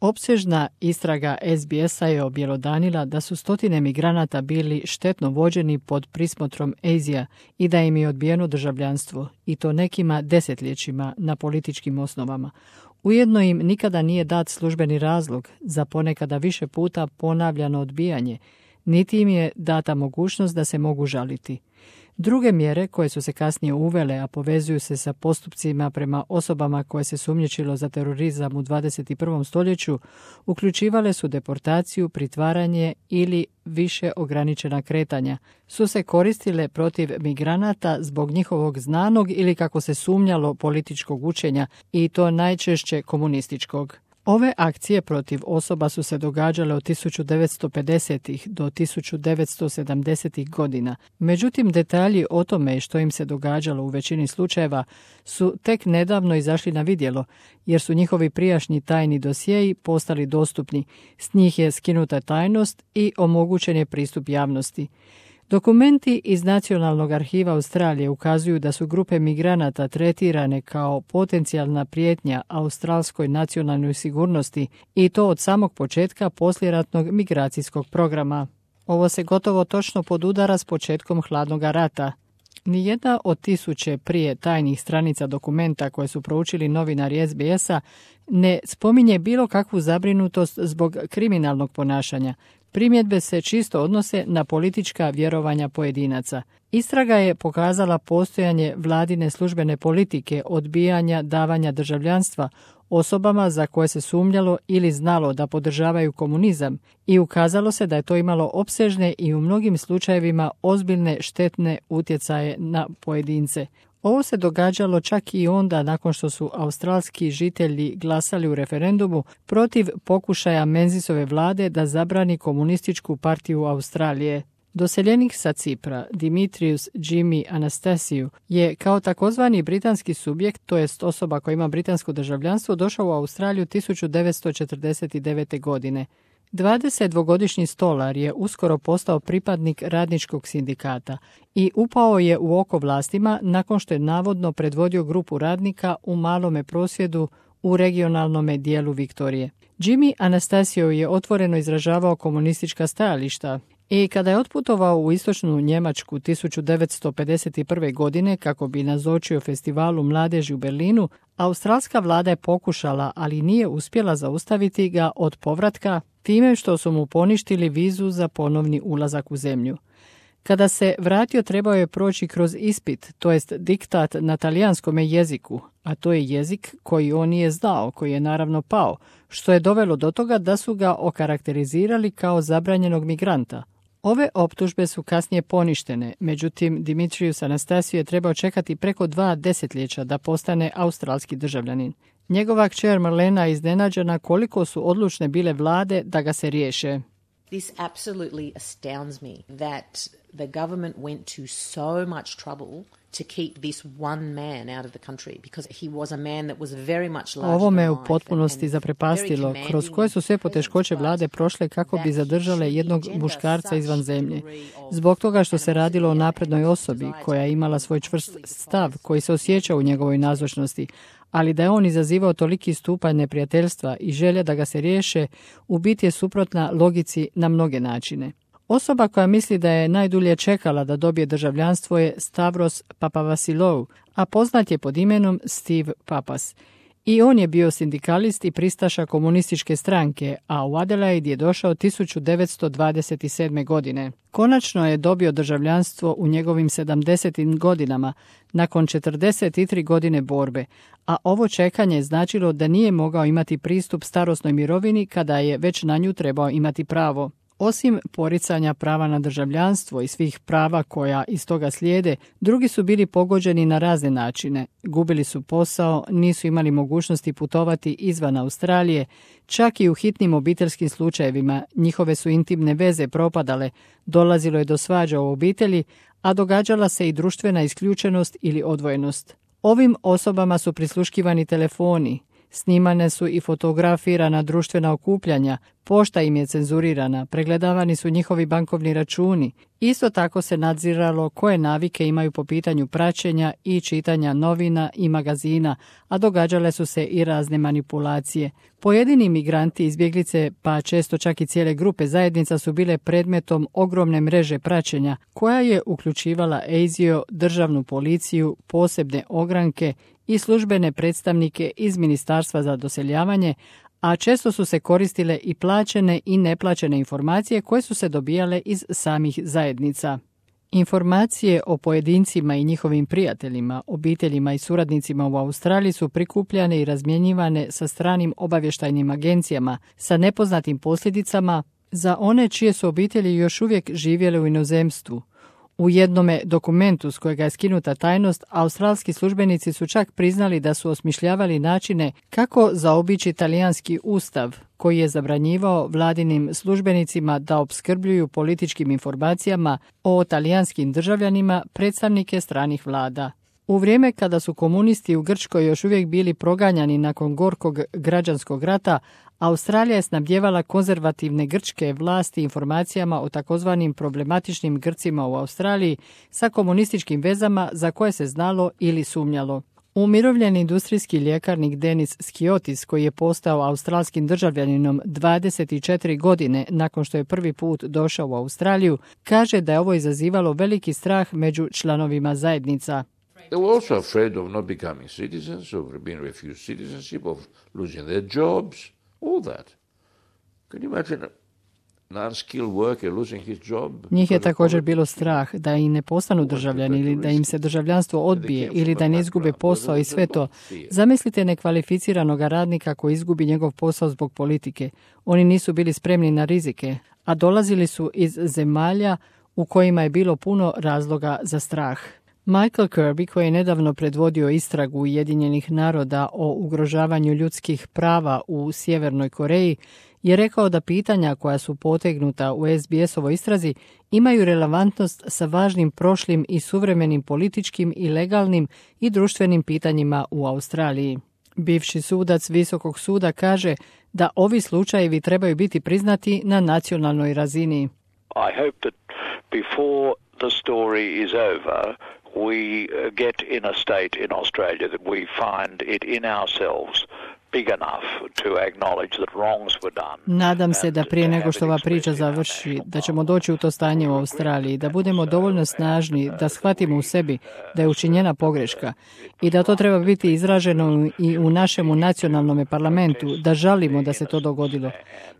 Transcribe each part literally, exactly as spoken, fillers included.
Opsežna istraga S B S-a je objelodanila da su stotine migranata bili štetno vođeni pod prismotrom A S I-a i da im je odbijeno državljanstvo, i to nekima desetljećima na političkim osnovama. Ujedno im nikada nije dat službeni razlog za ponekada više puta ponavljano odbijanje, niti im je data mogućnost da se mogu žaliti. Druge mjere koje su se kasnije uvele, a povezuju se sa postupcima prema osobama koje se sumnjičilo za terorizam u dvadeset prvom stoljeću, uključivale su deportaciju, pritvaranje ili više ograničena kretanja, su se koristile protiv migranata zbog njihovog znanog ili, kako se sumnjalo, političkog učenja, i to najčešće komunističkog. Ove akcije protiv osoba su se događale od tisuću devetsto pedesetih do tisuću devetsto sedamdesetih godina. Međutim, detalji o tome što im se događalo u većini slučajeva su tek nedavno izašli na vidjelo, jer su njihovi prijašnji tajni dosjei postali dostupni. S njih je skinuta tajnost i omogućen je pristup javnosti. Dokumenti iz Nacionalnog arhiva Australije ukazuju da su grupe migranata tretirane kao potencijalna prijetnja australskoj nacionalnoj sigurnosti, i to od samog početka poslijeratnog migracijskog programa. Ovo se gotovo točno podudara s početkom hladnog rata. Nijedna od tisuće prije tajnih stranica dokumenta koje su proučili novinari S B S-a ne spominje bilo kakvu zabrinutost zbog kriminalnog ponašanja. Primjedbe se čisto odnose na politička vjerovanja pojedinaca. Istraga je pokazala postojanje vladine službene politike odbijanja davanja državljanstva osobama za koje se sumnjalo ili znalo da podržavaju komunizam, i ukazalo se da je to imalo opsežne i u mnogim slučajevima ozbiljne štetne utjecaje na pojedince. Ovo se događalo čak i onda nakon što su australski žitelji glasali u referendumu protiv pokušaja Menzisove vlade da zabrani komunističku partiju Australije. Doseljenik sa Cipra, Dimitrius Jimmy Anastasiou, je kao takozvani britanski subjekt, to jest osoba koja ima britansko državljanstvo, došao u Australiju tisuću devetsto četrdeset devete. godine. dvadesetdvogodišnji stolar je uskoro postao pripadnik radničkog sindikata i upao je u oko vlastima nakon što je navodno predvodio grupu radnika u malome prosvjedu u regionalnome dijelu Viktorije. Jimmy Anastasiou je otvoreno izražavao komunistička stajališta i kada je otputovao u istočnu Njemačku tisuću devetsto pedeset prve. godine kako bi nazočio festivalu mladeži u Berlinu, australska vlada je pokušala, ali nije uspjela zaustaviti ga od povratka time što su mu poništili vizu za ponovni ulazak u zemlju. Kada se vratio, trebao je proći kroz ispit, to jest diktat na talijanskome jeziku, a to je jezik koji on nije znao, koji je naravno pao, što je dovelo do toga da su ga okarakterizirali kao zabranjenog migranta. Ove optužbe su kasnije poništene, međutim Dimitrius Anastasiou je trebao čekati preko dva desetljeća da postane australski državljanin. Njegova kćer Marlena je iznenađena koliko su odlučne bile vlade da ga se riješe. This absolutely astounds me that the government went to so much trouble to keep this one man out of the country, because he was a man that was very much larger. Ovo me u potpunosti zaprepastilo, kroz koje su sve poteškoće vlade prošle kako bi zadržale jednog muškarca izvan zemlje. Zbog toga što se radilo o naprednoj osobi koja je imala svoj čvrst stav koji se osjeća u njegovoj nazočnosti, ali da je on izazivao toliki stupanj neprijateljstva i želja da ga se riješe, u biti je suprotna logici na mnoge načine. Osoba koja misli da je najdulje čekala da dobije državljanstvo je Stavros Papavasilou, a poznat je pod imenom Steve Papas. I on je bio sindikalist i pristaša komunističke stranke, a u Adelaide je došao tisuću devetsto dvadeset sedme. godine. Konačno je dobio državljanstvo u njegovim sedamdesetim godinama, nakon četrdeset tri godine borbe, a ovo čekanje je značilo da nije mogao imati pristup starosnoj mirovini kada je već na nju trebao imati pravo. Osim poricanja prava na državljanstvo i svih prava koja iz toga slijede, drugi su bili pogođeni na razne načine. Gubili su posao, nisu imali mogućnosti putovati izvan Australije, čak i u hitnim obiteljskim slučajevima njihove su intimne veze propadale, dolazilo je do svađa u obitelji, a događala se i društvena isključenost ili odvojenost. Ovim osobama su prisluškivani telefoni, Snimane su i fotografirana društvena okupljanja, pošta im je cenzurirana, pregledavani su njihovi bankovni računi. Isto tako se nadziralo koje navike imaju po pitanju praćenja i čitanja novina i magazina, a događale su se i razne manipulacije. Pojedini migranti, izbjeglice, pa često čak i cijele grupe zajednica su bile predmetom ogromne mreže praćenja, koja je uključivala A S I O, državnu policiju, posebne ogranke i službene predstavnike iz Ministarstva za doseljavanje, a često su se koristile i plaćene i neplaćene informacije koje su se dobijale iz samih zajednica. Informacije o pojedincima i njihovim prijateljima, obiteljima i suradnicima u Australiji su prikupljane i razmjenjivane sa stranim obavještajnim agencijama sa nepoznatim posljedicama za one čije su obitelji još uvijek živjele u inozemstvu. U jednome dokumentu s kojega je skinuta tajnost, australski službenici su čak priznali da su osmišljavali načine kako zaobići talijanski ustav, koji je zabranjivao vladinim službenicima da opskrbljuju političkim informacijama o talijanskim državljanima predstavnike stranih vlada. U vrijeme kada su komunisti u Grčkoj još uvijek bili proganjani nakon gorkog građanskog rata, Australija je snabdjevala konzervativne grčke vlasti informacijama o takozvanim problematičnim Grcima u Australiji sa komunističkim vezama za koje se znalo ili sumnjalo. Umirovljeni industrijski ljekarnik Denis Skiotis, koji je postao australskim državljaninom dvadeset četiri godine nakon što je prvi put došao u Australiju, kaže da je ovo izazivalo veliki strah među članovima zajednica. They were also afraid of not becoming citizens, of being refused citizenship, of losing their jobs, all that. Can you imagine an unskilled worker losing his job? Njih je također bilo strah da i ne postanu državljani ili da im se državljanstvo odbije ili da ne izgube posao i sve to. Zamislite nekvalificiranog radnika koji izgubi njegov posao zbog politike. Oni nisu bili spremni na rizike, a dolazili su iz zemalja u kojima je bilo puno razloga za strah. Michael Kirby, koji je nedavno predvodio istragu Ujedinjenih naroda o ugrožavanju ljudskih prava u Sjevernoj Koreji, je rekao da pitanja koja su potegnuta u S B S-ovoj istrazi imaju relevantnost sa važnim prošlim i suvremenim političkim i legalnim i društvenim pitanjima u Australiji. Bivši sudac Visokog suda kaže da ovi slučajevi trebaju biti priznati na nacionalnoj razini. I hope that before the story is over, we get in a state in Australia that we find it in ourselves big enough to acknowledge that wrongs were done. Nadam se da prije nego što ova priča završi, da ćemo doći u to stanje u Australiji, da budemo dovoljno snažni, da shvatimo u sebi da je učinjena pogreška i da to treba biti izraženo i u našemu nacionalnom parlamentu, da žalimo da se to dogodilo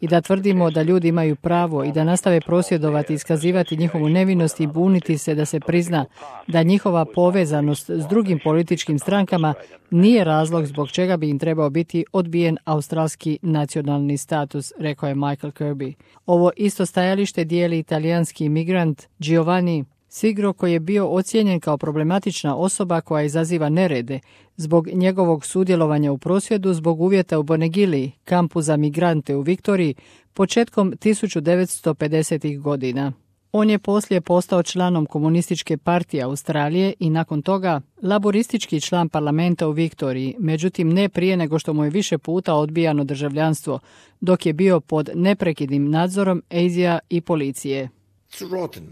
i da tvrdimo da ljudi imaju pravo i da nastave prosvjedovati, iskazivati njihovu nevinost i buniti se da se prizna da njihova povezanost s drugim političkim strankama nije razlog zbog čega bi im trebao biti odbijen australski nacionalni status, rekao je Michael Kirby. Ovo isto stajalište dijeli italijanski imigrant Giovanni Sigro, koji je bio ocijenjen kao problematična osoba koja izaziva nerede zbog njegovog sudjelovanja u prosvjedu zbog uvjeta u Bonegili, kampu za migrante u Viktoriji, početkom tisuću devetsto pedesetih godina. On je poslije postao članom Komunističke partije Australije i nakon toga laboristički član parlamenta u Viktoriji, međutim ne prije nego što mu je više puta odbijano državljanstvo, dok je bio pod neprekidnim nadzorom A S I A i policije. It's rotten.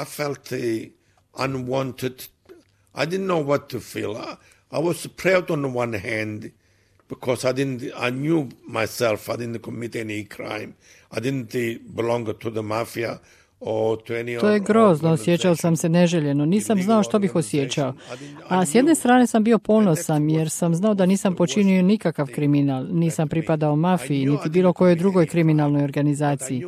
I felt the unwanted. I didn't know what to feel. I, I was proud on the one hand because I didn't. I knew myself. I didn't commit any crime. I didn't belong to the mafia. To je grozno, osjećao sam se neželjeno, nisam znao što bih osjećao. A s jedne strane sam bio ponosan jer sam znao da nisam počinio nikakav kriminal, nisam pripadao mafiji, niti bilo kojoj drugoj kriminalnoj organizaciji.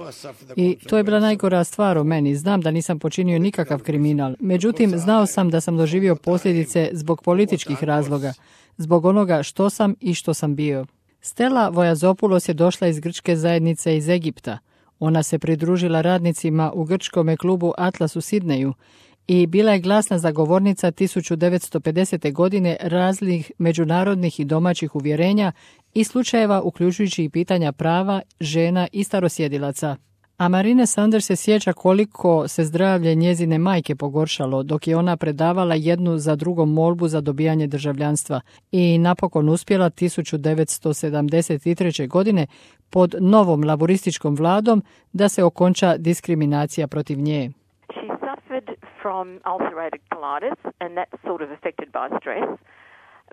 I to je bila najgora stvar o meni, znam da nisam počinio nikakav kriminal. Međutim, znao sam da sam doživio posljedice zbog političkih razloga, zbog onoga što sam i što sam bio. Stella Vojazopoulos je došla iz grčke zajednice iz Egipta. Ona se pridružila radnicima u grčkome klubu Atlas u Sidneju i bila je glasna zagovornica tisuću devetsto pedesete. godine raznih međunarodnih i domaćih uvjerenja i slučajeva uključujući i pitanja prava žena i starosjedilaca. A Marine Sanders se sjeća koliko se zdravlje njezine majke pogoršalo dok je ona predavala jednu za drugom molbu za dobijanje državljanstva i napokon uspjela tisuću devetsto sedamdeset treće. godine pod novom laborističkom vladom da se okonča diskriminacija protiv nje. She suffered from ulcerated colitis and that's sort of affected by stress.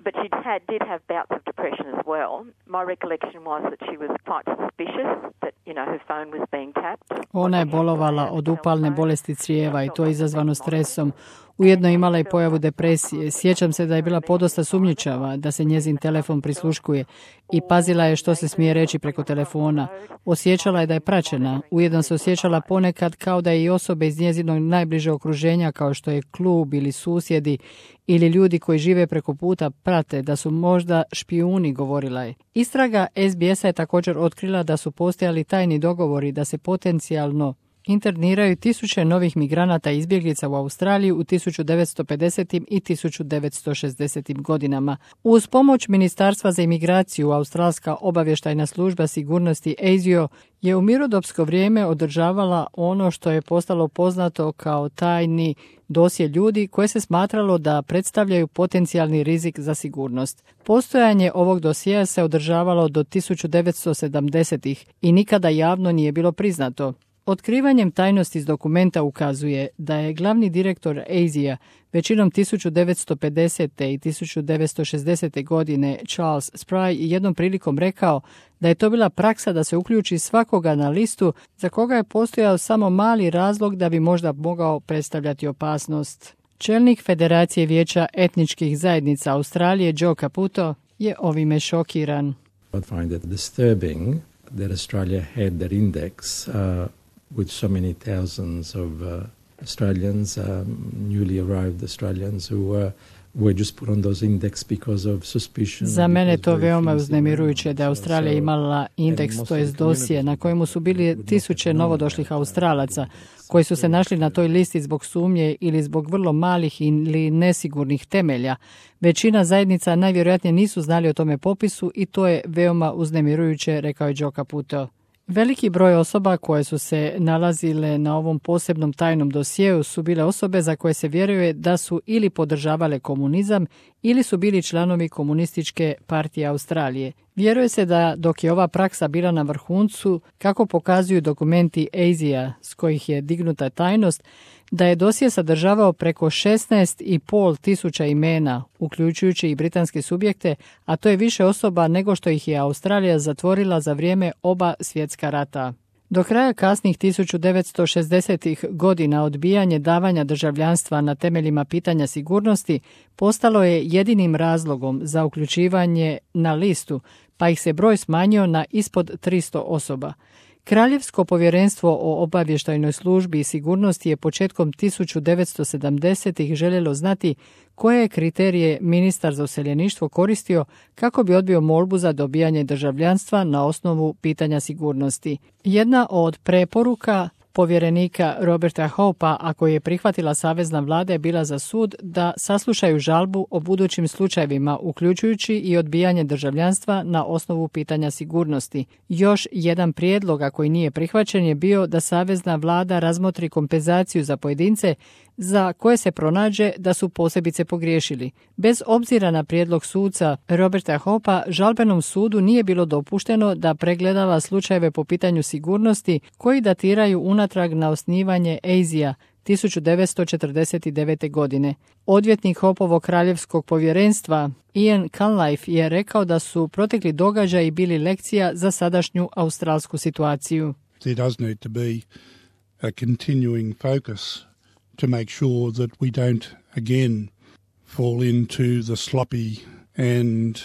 But she had, did have bouts of depression as well. My recollection was that she was quite suspicious that, you know, her phone was being tapped. Ona je bolovala od upalne bolesti crijeva i to je izazvano stresom. Ujedno imala i pojavu depresije. Sjećam se da je bila podosta sumnjičava, da se njezin telefon prisluškuje i pazila je što se smije reći preko telefona. Osjećala je da je praćena. Ujedno se osjećala ponekad kao da je i osobe iz njezinog najbliže okruženja, kao što je klub ili susjedi ili ljudi koji žive preko puta, prate, da su možda špijuni, govorila je. Istraga S B S-a je također otkrila da su postojali tajni dogovori da se potencijalno interniraju tisuće novih migranata i izbjeglica u Australiju u tisuću devetsto pedesetim i tisuću devetsto šezdesetim godinama. Uz pomoć Ministarstva za imigraciju, Australska obavještajna služba sigurnosti A S I O je u mirnodopsko vrijeme održavala ono što je postalo poznato kao tajni dosje ljudi koje se smatralo da predstavljaju potencijalni rizik za sigurnost. Postojanje ovog dosjea se održavalo do tisuću devetsto sedamdesetih i nikada javno nije bilo priznato. Otkrivanjem tajnosti iz dokumenta ukazuje da je glavni direktor A S I A većinom tisuću devetsto pedesete. i tisuću devetsto šezdesete. godine Charles Spry jednom prilikom rekao da je to bila praksa da se uključi svakoga na listu za koga je postojao samo mali razlog da bi možda mogao predstavljati opasnost. Čelnik Federacije vijeća etničkih zajednica Australije Joe Caputo je ovime šokiran. I find it disturbing that Australia had that index uh... with so many thousands of uh, Australians, um, newly arrived Australians who uh, were just put on those index because of suspicion. Za mene to veoma uznemirujuće da je Australija imala indeks, to jest dosje, na kojemu su bili tisuće novodošlih Australaca koji su se našli na toj listi zbog sumnje ili zbog vrlo malih ili nesigurnih temelja. Većina zajednica najvjerojatnije nisu znali o tome popisu i to je veoma uznemirujuće, rekao je Joe Caputo. Veliki broj osoba koje su se nalazile na ovom posebnom tajnom dosjeu su bile osobe za koje se vjeruje da su ili podržavale komunizam ili su bili članovi komunističke partije Australije. Vjeruje se da dok je ova praksa bila na vrhuncu, kako pokazuju dokumenti A S I A s kojih je dignuta tajnost, da je dosje sadržavao preko šesnaest i pol tisuća imena, uključujući i britanske subjekte, a to je više osoba nego što ih je Australija zatvorila za vrijeme oba svjetska rata. Do kraja kasnih tisuću devetsto šezdesetih godina odbijanje davanja državljanstva na temeljima pitanja sigurnosti postalo je jedinim razlogom za uključivanje na listu, pa ih se broj smanjio na ispod tristo osoba. Kraljevsko povjerenstvo o obavještajnoj službi i sigurnosti je početkom tisuću devetsto sedamdesetih željelo znati koje je kriterije ministar za useljeništvo koristio kako bi odbio molbu za dobijanje državljanstva na osnovu pitanja sigurnosti. Jedna od preporuka povjerenika Roberta Hopa, ako je prihvatila savezna vlada, je bila za sud da saslušaju žalbu o budućim slučajevima, uključujući i odbijanje državljanstva na osnovu pitanja sigurnosti. Još jedan prijedlog, a koji nije prihvaćen, je bio da savezna vlada razmotri kompenzaciju za pojedince za koje se pronađe da su posebice pogriješili. Bez obzira na prijedlog suca Roberta Hopa, žalbenom sudu nije bilo dopušteno da pregledava slučajeve po pitanju sigurnosti koji datiraju unatrag na osnivanje A S I A tisuću devetsto četrdeset devete. godine. Odvjetnik Hopovog kraljevskog povjerenstva Ian Cunliffe je rekao da su protekli događaji bili lekcija za sadašnju australsku situaciju. There does need to be a continuing focus to make sure that we don't again fall into the sloppy and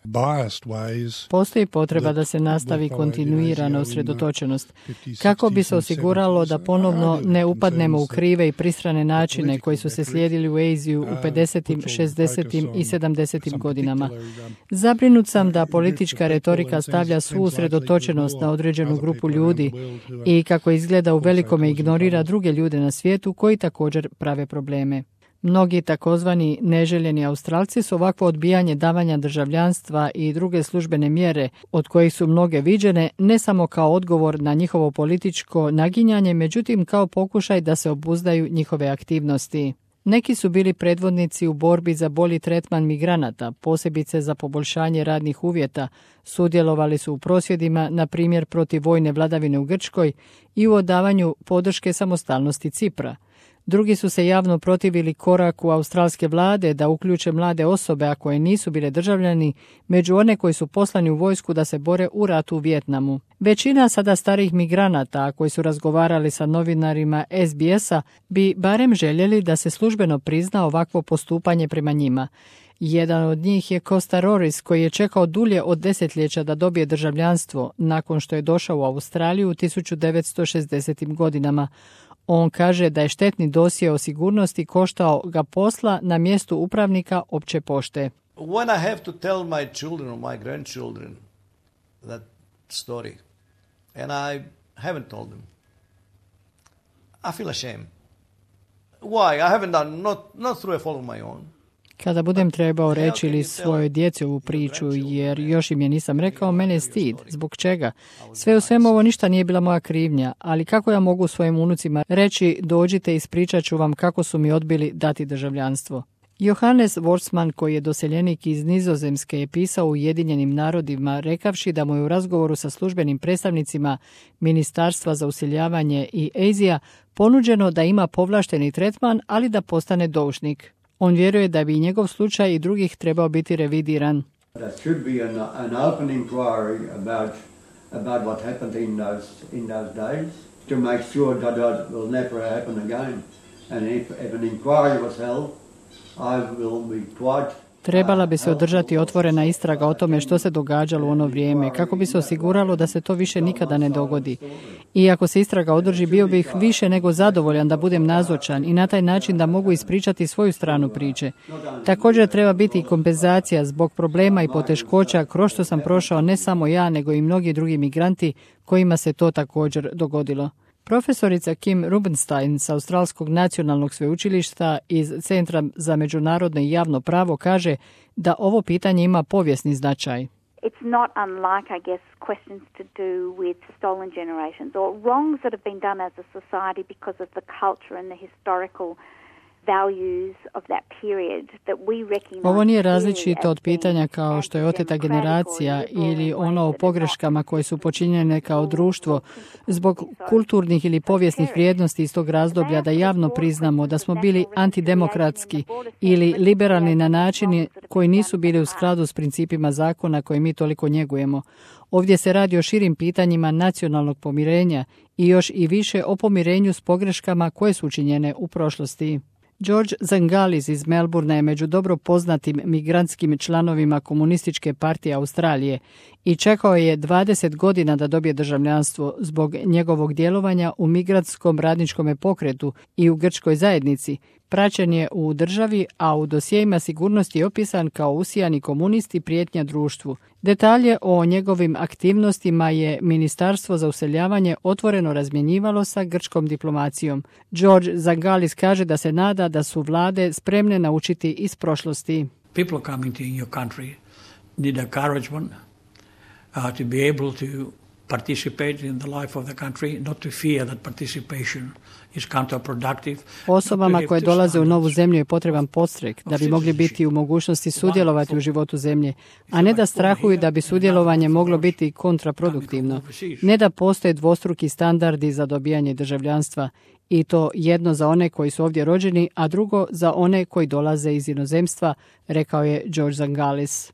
biased ways. Postoji potreba da se nastavi kontinuirana usredotočenost kako bi se osiguralo da ponovno ne upadnemo u krive i pristrane načine koji su se slijedili u Aziju u pedesetim, šezdesetim i sedamdesetim godinama. Zabrinut sam da politička retorika stavlja svu usredotočenost na određenu grupu ljudi i kako izgleda u velikome ignorira druge ljude na svijetu koji također prave probleme. Mnogi takozvani neželjeni Australci su ovakvo odbijanje davanja državljanstva i druge službene mjere, od kojih su mnoge viđene, ne samo kao odgovor na njihovo političko naginjanje, međutim kao pokušaj da se obuzdaju njihove aktivnosti. Neki su bili predvodnici u borbi za bolji tretman migranata, posebice za poboljšanje radnih uvjeta, sudjelovali su u prosvjedima, na primjer protiv vojne vladavine u Grčkoj i u odavanju podrške samostalnosti Cipra. Drugi su se javno protivili koraku australske vlade da uključe mlade osobe, a koje nisu bile državljani, među one koji su poslani u vojsku da se bore u ratu u Vijetnamu. Većina sada starih migranata, koji su razgovarali sa novinarima S B S-a, bi barem željeli da se službeno prizna ovakvo postupanje prema njima. Jedan od njih je Costa Roris, koji je čekao dulje od desetljeća da dobije državljanstvo nakon što je došao u Australiju u tisuću devetsto šezdesetim godinama. On kaže da je štetni dosje o sigurnosti koštao ga posla na mjestu upravnika opće pošte. When I have to tell my children or my grandchildren that story, and I haven't told them, I feel ashamed. Why? I haven't done, not, not through a fault of my own. Kada budem trebao reći ili svojoj djeci ovu priču, jer još im je nisam rekao, mene je stid. Zbog čega? Sve u svemu ovo ništa nije bila moja krivnja, ali kako ja mogu svojim unucima reći, dođite, ispričat ću vam kako su mi odbili dati državljanstvo. Johannes Wortsman, koji je doseljenik iz Nizozemske, je pisao u Ujedinjenim narodima, rekavši da mu je u razgovoru sa službenim predstavnicima Ministarstva za useljavanje i Azija ponuđeno da ima povlašteni tretman, ali da postane doušnik. On vjeruje da bi njegov slučaj i drugih trebao biti revidiran. There should be an, an open inquiry about about what happened in those in those days to make sure that that will never happen again. And if, if an inquiry was held, I will be quite Trebala bi se održati otvorena istraga o tome što se događalo u ono vrijeme, kako bi se osiguralo da se to više nikada ne dogodi. I ako se istraga održi, bio bih više nego zadovoljan da budem nazočan i na taj način da mogu ispričati svoju stranu priče. Također treba biti i kompenzacija zbog problema i poteškoća kroz što sam prošao ne samo ja, nego i mnogi drugi migranti kojima se to također dogodilo. Profesorica Kim Rubenstein s Australskog nacionalnog sveučilišta iz Centra za međunarodno i javno pravo kaže da ovo pitanje ima povijesni značaj. It's not unlike, I guess, questions to do with stolen generations or wrongs that have been done as a society because of the culture and the historical values of that period that we recognize. Ovo nije različito od pitanja kao što je oteta generacija ili ono o pogreškama koje su počinjene kao društvo zbog kulturnih ili povijesnih vrijednosti iz tog razdoblja, da javno priznamo da smo bili antidemokratski ili liberalni na načini koji nisu bili u skladu s principima zakona koje mi toliko njegujemo. Ovdje se radi o širim pitanjima nacionalnog pomirenja i još i više o pomirenju s pogreškama koje su učinjene u prošlosti. George Zangalis iz Melbournea je među dobro poznatim migrantskim članovima Komunističke partije Australije i čekao je dvadeset godina da dobije državljanstvo zbog njegovog djelovanja u migrantskom radničkom pokretu i u grčkoj zajednici. Praćen je u državi, a u dosjejima sigurnosti je opisan kao usijani komunist i prijetnja društvu. Detalje o njegovim aktivnostima je Ministarstvo za useljavanje otvoreno razmjenjivalo sa grčkom diplomacijom. George Zangalis kaže da se nada da su vlade spremne naučiti iz prošlosti. People coming to your country need encouragement uh, to be able to participate in the life of the country, not to fear that participation is counterproductive. Osobama koje dolaze u novu zemlju je potreban podstrek da bi mogli biti u mogućnosti sudjelovati u životu zemlje, a ne da strahuju da bi sudjelovanje moglo biti kontraproduktivno. Ne da postoje dvostruki standardi za dobijanje državljanstva, i to jedno za one koji su ovdje rođeni, a drugo za one koji dolaze iz inozemstva, rekao je George Zangalis.